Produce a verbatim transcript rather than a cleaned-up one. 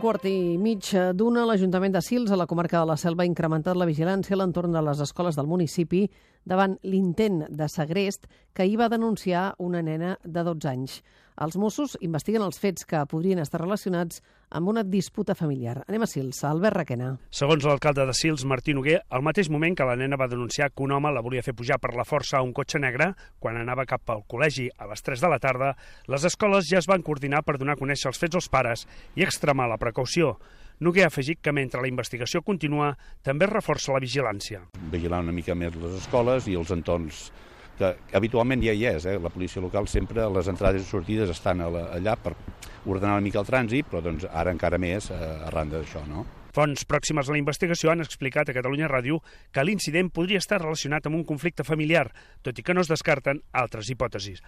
quart i mig d'una, l'Ajuntament de Sils, a la comarca de la Selva, ha incrementat la vigilància a l'entorn de les escoles del municipi davant l'intent de segrest que hi va denunciar una nena de dotze anys. Els Mossos investiguen els fets que podrien estar relacionats amb una disputa familiar. Anem a Sils, a Albert Requena. Segons l'alcalde de Sils, Martí Noguer, al mateix moment que la nena va denunciar que un home la volia fer pujar per la força a un cotxe negre, quan anava cap al col·legi a les tres de la tarda, les escoles ja es van coordinar per donar a conèixer els fets als pares i extremar la precaució. Noguer ha afegit que mentre la investigació continua, també es reforça la vigilància. Vigilar una mica més les escoles i els entorns que habitualment ja hi és. Eh? La policia local sempre a les entrades i sortides estan allà per ordenar una mica el trànsit, però doncs, ara encara més eh, arran d'això, no? Fonts pròximes a la investigació han explicat a Catalunya Ràdio que l'incident podria estar relacionat amb un conflicte familiar, tot i que no es descarten altres hipòtesis.